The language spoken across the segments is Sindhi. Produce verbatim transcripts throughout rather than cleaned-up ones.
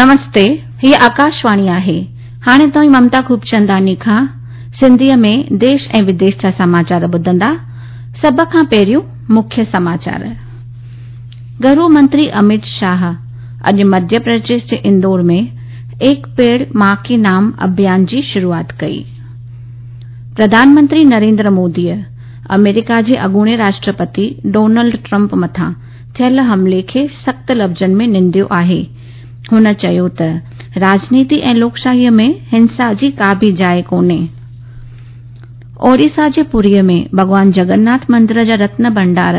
نمستي، هيء آڪاشواڻي آهي. هاڻي توهين ممتا خوبچنداڻي کان سنڌيء ۾ ديش ۽ وديش جا سماچار ٻڌندا. سڀ کان پهريون مکيه سماچار. گهرو منتري امت شاهه اڄ مڌيه پرديش جي اندور ۾ ايڪ پيڙ مان ڪي نام اڀيان جي شروعات ڪئي. پرڌان منتري نريندر موديء آمريڪا جي اڳوڻي راشٽرپتي ڊونلڊ ٽرمپ مٿان ٿيل حملي کي سخت لفظن ۾ ننديو آهي. هن چيو ته راڄنيتي ۽ لوڪشاهيء ۾ هنسا جي ڪا به جاءِ ڪونهي. اوڙيسا جي پوريء ۾ ڀڳوان جگناٿ مندر جا رتن ڀنڊار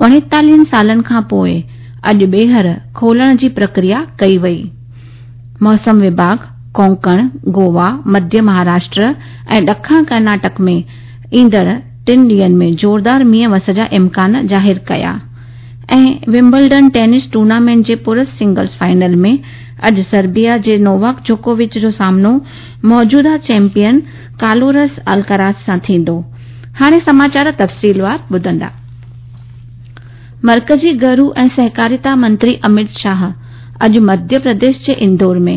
اڻيتاليهن سالن کان پوءِ اڄ ٻيهر کولڻ جي پرڪريا ڪئي وئي. موسم وڀاڳ ڪونڪڻ، گوا، مڌيه مهاراشٽر ۽ ڏکڻ ڪرناٽڪ ۾ ايندڙ ٽن ڏينهن ۾ زوردار مينهن وس جا امڪان ظاهر ڪيا ۽ ومبلڊن ٽينس ٽورنامينٽ جي پرش سنگلز فائنل ۾ اڄ سربيا جي نوواڪ جوڪووچ جو سامنو موجوده چيمپيئن ڪارلوس الڪاراز سان ٿيندو. هاڻي سماچار تفصيلوار ٻڌندا. مرڪزي گهرو ۽ سهڪاريتا منتري امت شاهه اڄ مڌيه پرديش جي اندور ۾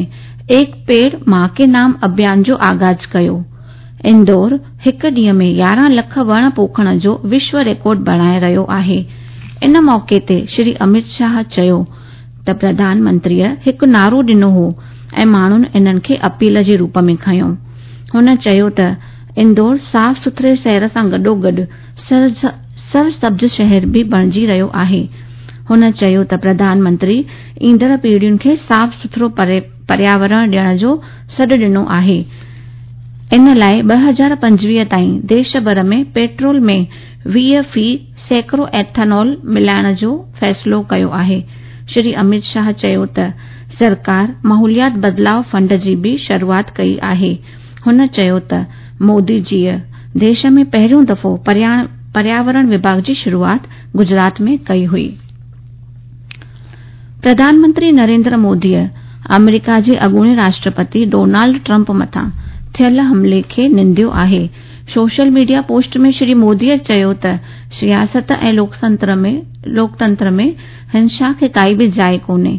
ايڪ پيڙ مان ڪي نام اڀيان جو آغاز ڪيو. اندور هڪ ڏينهن ۾ يارهن لک وڻ پوکڻ جو وشو رڪارڊ بڻائي رهيو آهي. ان موقعي تي شري امت شاهه چيو ته پرڌان منتريء هڪ نعرو ڏنو هو ۽ ماڻهن انهن کي اپيل جي روپ ۾ کنيو. هن چيو ته اندور صاف سٿري شهر سان گڏوگڏ سرسبز شهر به بڻجي رهيو آهي. هن چيو ته پرڌان منتري ايندڙ پيڙهين کي صاف سٿرو پرياورڻ ڏيڻ جو سڏ ڏنو آهي. ان لاءِ ٻه هزار پنجويهه تائين ديش ڀر ۾ پيٽرول ۾ ويهه في سيڪڙو ايٿانول ملائڻ جو فيصلو ڪيو آهي. شري امت شاهه چيو ته سرڪار ماحوليات بدلاءُ فنڊ جي به شروعات ڪئي آهي. هن چيو ته مودي جيءَ ديش ۾ پهريون دفعو پرياورڻ وڀاڳ جي شروعات گجرات ۾ ڪئي هئي. پرڌان منتري نريندر موديء آمريڪا جي اڳوڻي راشٽرپتي ڊونلڊ ٽرمپ مٿان ٿيل حملي کي ننديو آهي. سوشل ميڊيا پوسٽ ۾ شري موديء چيو ته سياست ۽ لوڪتنتر ۾ هنسا کي ڪائي به جاءِ ڪونهي.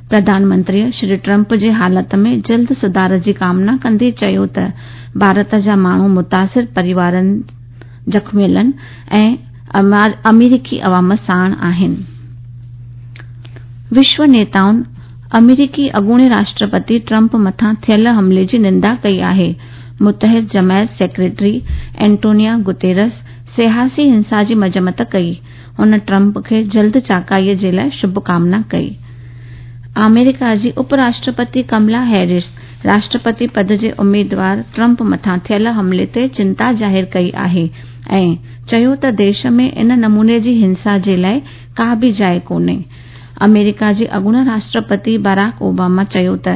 پرڌان منتريء شري ٽرمپ جي حالت ۾ جلد سڌار جي ڪامنا ڪندي چيو ته ڀارت جا ماڻهو متاثر پريوارن، زخميلن ۽ آمريڪي عوام ساڻ آهن. وشو نيتائن آمريڪي اڳوڻي راشٽرپتي ٽرمپ مٿان ٿيل حملي جي نندا ڪئي آهي. متحد جماعت سيڪريٽري اينٽونيو گوتيرس سياسي هنسا جي مذمت ڪئي. هن ٽرمپ کي جلد چاڪائيءَ جي لاءِ شڀڪامنا ڪئي. آمريڪا جي up Rashtrapati Kamala Harris Rashtrapati پد جي اميدوار ٽرمپ مٿان ٿيل حملي تي چنتا ظاهر ڪئي آهي ۽ چيو ته ديش ۾ ان نموني جي هنسا جي لاءِ ڪا به جاءِ ڪونهي. آمريڪا جي اڳوڻي راشٽرپتي باراڪ اوباما چيو ته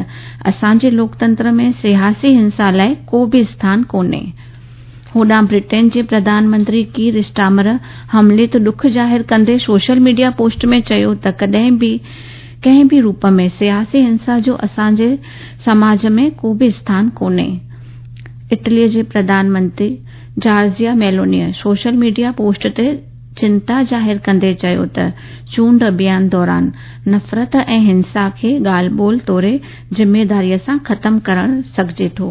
اسان جي لوڪتنتر ۾ سياسي هنسا لاءِ ڪو به اسٿان ڪونهي. هوڏانهن برٽين جي پرڌان منتري ڪير اسٽارمر حملي تي ڏک ظاهر ڪندي سوشل ميڊيا پوسٽ ۾ چيو ته ڪڏهن به ڪنهن به روپ ۾ سياسي هنسا جو اسان جي سماج ۾ ڪو به اسٿان ڪونهي. اٽليءَ جي Pradhan Mantri Georgia ميلونيء social media post تي چنتا ظاهر ڪندي چيو ته چونڊ اڀيان دوران نفرت ۽ هنسا کي ڳالهه ٻولهه توڙي ذميداريءَ سان ختم ڪرڻ سگهجي ٿو.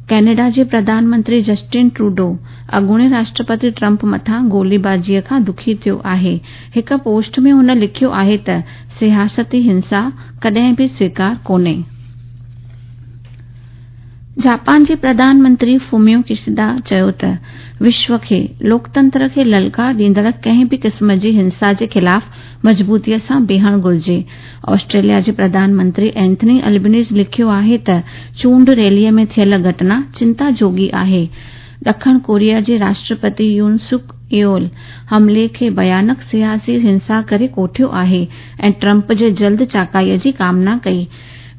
ڪئناڊا جي پرڌان منتري جسٽن ٽروڊو اڳوڻي راشٽرپتي ٽرمپ مٿان گوليبازيءَ کان دکي ٿيو آهي. هڪ پوسٽ ۾ هن لکيو آهي ته سياستي هنسا ڪڏهن به سويڪار ڪونهي. جاپان جي پرڌان منتري فوميو ڪشيدا چيو ته وشو کي لوڪتنتر کي للڪار ڏيندڙ ڪنهن به قسم جي هنسا جي خلاف مضبوطيءَ سان بيهڻ گهرجي. آسٽريليا جي پرڌان منتري اينٿني البنيز لکيو آهي ته چونڊ ريليءَ ۾ ٿيل گهٽنا چنتا جوڳي آهي. ڏکڻ ڪوريا جي راشٽرپتي يون سڪ يول حملي کي ڀيانڪ سياسي هنسا ڪري ڪوٺيو آهي ۽ ٽرمپ جي جلد چاڪائيءَ جي ڪامنا ڪئي.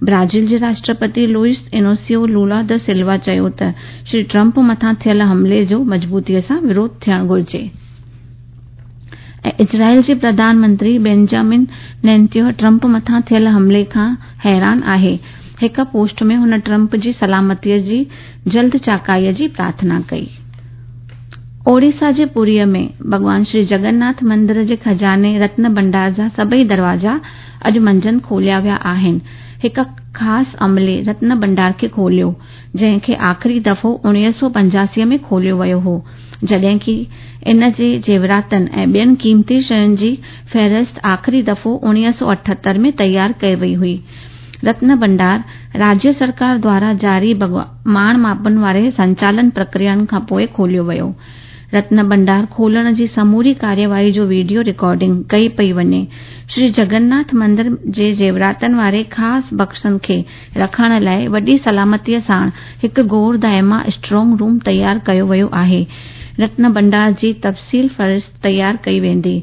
برازيل جي راشٽرپتي لوئس انوسيو لولا دا سلوا چيو ته شري ٽرمپ مٿان ٿيل حملي جو مضبوطيءَ سان وروڌ ٿيڻ گهرجي. ۽ اسرائيل جي پرڌان منتري بينجامن نيتنياهو ٽرمپ مٿان ٿيل حملي کان حيران آهي. هڪ پوسٽ ۾ هن ٽرمپ جي سلامتيءَ جي جلد چاڪائيءَ جي پرارٿنا ڪئي. اوڙيسا جي پوريءَ ۾ ڀڳوان شري جگناٿ مندر جي خزاني رتن ڀنڊار جا سڀئي دروازا اڄ منجهند کوليا ويا آهن. هڪ خاص عملي رتن ڀنڊار کي کوليو، جنهن کي آخري دفعو اڻويهه سؤ پنجاسي ۾ کوليو ويو هو، جڏهن ڪه ان جي زيوراتن ۽ ٻين قيمتي شين جي فهرست آخري دفعو اڻويهه سؤ اٺهتر ۾ تيار ڪئي وئي هئي. رتن ڀنڊار راجيه سرڪار دوارا جاري ماڻ ماپن واري سنچالن پرڪريائن کان پوءِ کوليو ويو. رتن ڀنڊار کولڻ جي سموري ڪارروائي جو وڊيو رڪارڊنگ ڪئي پئي وڃي. شري جگناٿ مندر جي زيوراتن واري خاص بڪسن کي رکڻ لاءِ وڏي سلامتيءَ ساڻ هڪ گور دائما اسٽرانگ روم تيار ڪيو ويو آهي. رتن ڀنڊار جي تفصيل فهرست تيار ڪئي ويندي.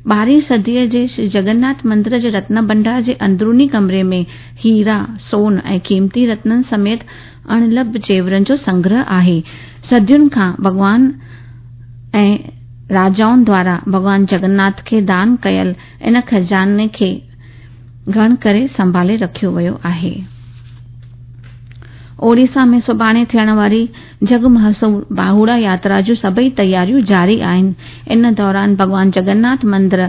ٻارهين صديءَ جي شري جگناٿ مندر جي رتن ڀنڊار جي اندروني ڪمري ۾ هيرا، سون ۽ قيمتي رتنن سميت اڻلڀ زيورن جو سنگرهه آهي. صدين کان ڀڳوان ۽ راجائن دوارا ڀڳوان جگناٿ کي دان ڪيل ان خزاني کي گهڻ ڪري سنڀالي رکيو ويو آهي. اوڙيسا ۾ سڀاڻي ٿيڻ واري جڳ مشهور باهوڙا ياترا جون سڀئي تياريون جاري آهن. ان دوران ڀڳوان جگناٿ مندر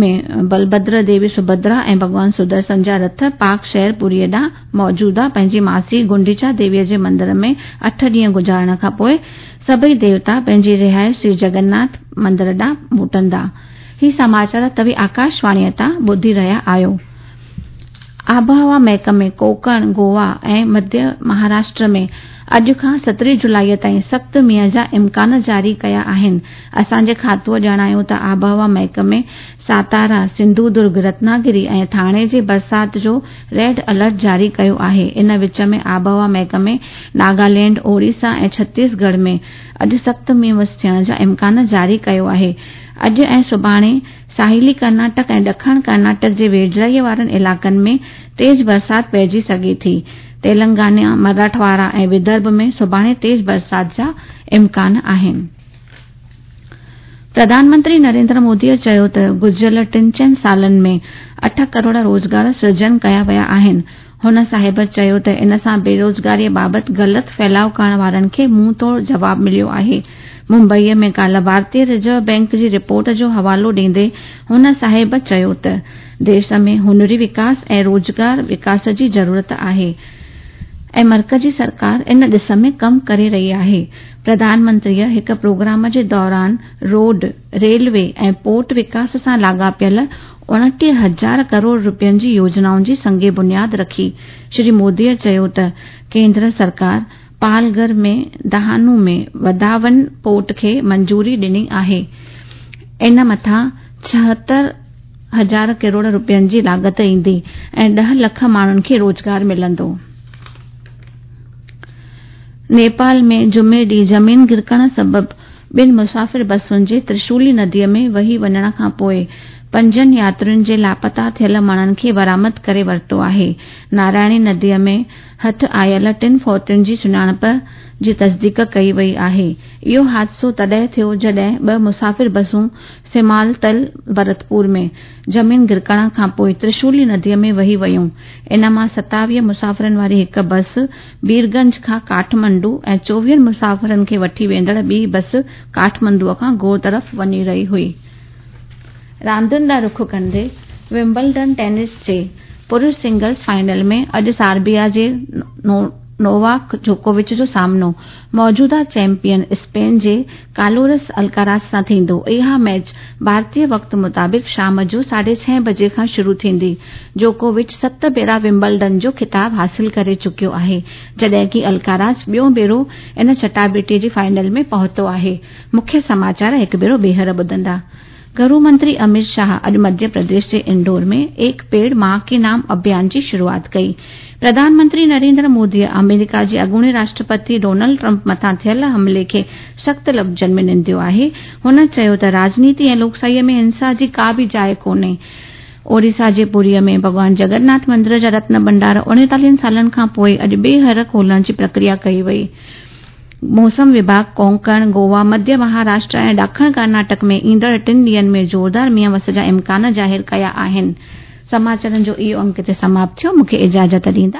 ۾ بلڀدر، ديوي سڀدرا ۽ ڀڳوان سدرشن جا رٿ پاڪ شهر پوريءَ ڏانهن موجوده پنهنجي ماسي گنڊيچا ديويءَ جي مندر ۾ اٺ ڏينهن گذارڻ کان پوءِ سڀئي ديوتا پنهنجي رهائش شري جگناٿ مندر ڏانهن موٽندا. هي سماچار توهين آڪاشواڻيءَ تان ٻڌي رهيا آهيو. آبهوا محڪمي ڪوڪڻ، گوا ۽ مڌيه مهاراشٽر ۾ اڄ کان سترهين جولائيءَ تائين سخت مينهن جا امڪان جاري ڪيا آهن. اسان جي کاتوءَ ڄاڻايو ته آبهوا محڪمي ساتارا، سنڌودرگ، رتناگري ۽ ٿاڻي جي برسات جو ريڊ الرٽ جاري ڪيو آهي. ان وچ ۾ آبهوا محڪمي ناگالينڊ، اوڙيسا ۽ ڇتيسڳڙهه ۾ اڄ سخت مينهن وس ٿيڻ جا امڪان جاري ڪيو آهي. اڄ ۽ سڀاڻي ساحلي ڪرناٽڪ ۽ ڏکڻ ڪرناٽڪ جي ويجهڙائيءَ وارن علائقن ۾ تيز برسات پئجي سگهي ٿي. تيلنگانا، مراٺواڙا ۽ ودرڀ ۾ سڀاڻي تيز برسات جا امڪان آهن. پرڌان منتري نريندر موديءَ چيو ته گذريل ٽن چئن سالن ۾ اٺ ڪروڙ روزگار سرجن ڪيا ويا آهن. هن صاحب چيو ته ان سان بيروزگاريءَ بابت غلط ڦهلاءُ ڪرڻ وارن کي منهن ٽوڙ جواب مليو آهي. ممبئيءَ ۾ ڪالهه ڀارتيه رزرو بينڪ جي رپورٽ جو حوالو ڏيندي هن صاحب چيو ته ديش ۾ هنري وڪاس ۽ روزگار وڪاس جي ضرورت آهي ۽ مرڪزي سرڪار ان ڏس ۾ ڪم ڪري رهي آهي. پرڌان منتريءَ هڪ پروگرام جي دوران روڊ، ريلوي ۽ پورٽ وڪاس سان لاڳاپيل اڻٽيهه هزار ڪروڙ رپين جي يوجنائن جي سنگ بنياد رکي. شري موديءَ چيو ته ڪيندر سرڪار پالگهر ۾ دهانو ۾ وڌاون پورٽ کي منظوري ڏني آهي. ان مٿان ڇاهتر هزار ڪروڙ رپين جي لاڳت ايندي ۽ ڏهه لک ماڻهن کي روزگار ملندو. نيپال ۾ جمعي ڏينهن زمين گرڪڻ سبب ٻن مسافر بسن جي ترشولي نديءَ ۾ وهي وڃڻ کان پوءِ پنجن ياترين جي لاپتا ٿيل ماڻهن کي برآمد ڪري ورتو آهي. نارائڻي نديءَ ۾ هٿ آيل ٽن فوتين جي سڃاڻپ جي تصديق ڪئي وئي آهي. اهو حادثو تڏهن ٿيو جڏهن ٻه مسافر بسون سمالتل ڀرتپور ۾ زمين گرڪڻ کان پوءِ ترشولي نديءَ ۾ وهي ويون. ان مان ستاويهه مسافرن واري هڪ بس بيرگنج کان ڪاٺمانڊو ۽ چوويهن مسافرن کي وٺي ويندڙ ٻي بس ڪاٺمانڊوءَ کان گور طرف وڃي رهي هئي. راندين ڏانهن رخ ڪندي ومبلڊن ٽينس جي پرش سنگلز فائنل ۾ اڄ سربيا جي نوواڪ جوڪووچ جو سامنو موجوده چيمپيئن اسپين جي ڪارلوس الڪاراز سان ٿيندو. اها ميچ ڀارتيه وقت مطابق شام جو ساڍي ڇهه بجي کان شروع ٿيندي. جوڪووچ ست ڀيرا ومبلڊن جو خطاب حاصل ڪري چڪيو آهي، جڏهن ڪه الڪاراز ٻيون ڀيرو ان چٽاڀيٽي جي فائنل ۾ پهتو آهي. مکيه سماچار هڪ ڀيرو ٻيهر ٻڌندا. گهرو منتري امت شاهه اڄ مڌيه پرديش جي اندور ۾ ايڪ پيڙ مان ڪي نام اڀيان جي شروعات ڪئي. پرڌان منتري نريندر موديءَ آمريڪا جي اڳوڻي راشٽرپتي ڊونلڊ ٽرمپ مٿان ٿيل حملي کي سخت لفظن ۾ ننديو آهي. هن چيو ته راجنيتي ۽ لوڪشاهيءَ ۾ هنسا جي ڪا به جاءِ ڪونهي. اوڙيسا جي پوريءَ ۾ ڀڳوان جگناٿ مندر جا رتن ڀنڊار اڻيتاليهن سالن کان پوءِ اڄ ٻيهر کولڻ جي پرڪريا ڪئي وئي. موسم وڀاڳ ڪونڪڻ، گوا، مڌيه مهاراشٽر ۽ ڏکڻ ڪرناٽڪ ۾ ايندڙ ٽن ڏينهن ۾ زوردار مينهن وس جا امڪان ظاهر ڪيا آهن. سماچارن جو اهو انڪ هتي سماپت ٿيو. مون کي اجازت ڏيندا.